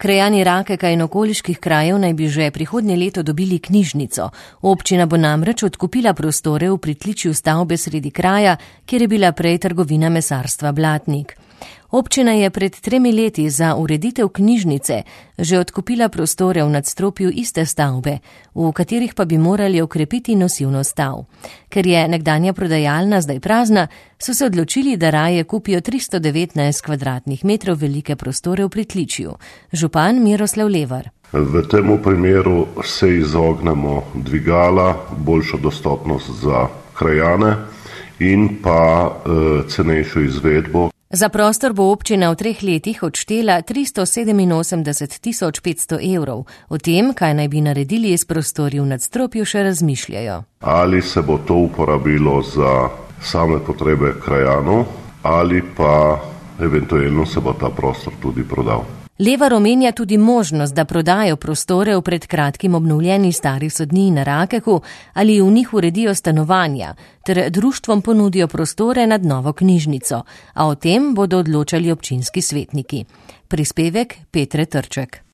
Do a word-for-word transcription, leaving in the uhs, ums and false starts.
Krajani Rakeka in okoliških krajev naj bi že prihodnje leto dobili knjižnico. Občina bo namreč odkupila prostore v pritličju stavbe sredi kraja, kjer je bila prej trgovina mesarstva Blatnik. Občina je pred tremi leti za ureditev knjižnice že odkupila prostore v nadstropju iste stavbe, v katerih pa bi morali okrepiti nosivno stav. Ker je nekdanja prodajalna zdaj prazna, so se odločili, da raje kupijo tristo devetnajst kvadratnih metrov velike prostore v pritličju. Župan Miroslav Levar. V tem primeru se izognemo dvigala, boljšo dostopnost za krajane in pa e, cenejšo izvedbo. Za prostor bo občina v treh letih odštela tristo sedeminosemdeset tisoč petsto evrov. O tem, kaj naj bi naredili s prostori v nadstropju, še razmišljajo. Ali se bo to uporabilo za same potrebe krajanov, ali pa eventualno se bo ta prostor tudi prodal. Levar omenja tudi možnost, da prodajo prostore v pred kratkim obnovljeni stari sodniji na Rakeku ali v njih uredijo stanovanja, ter društvom ponudijo prostore nad novo knjižnico, a o tem bodo odločali občinski svetniki. Prispevek Petre Trček.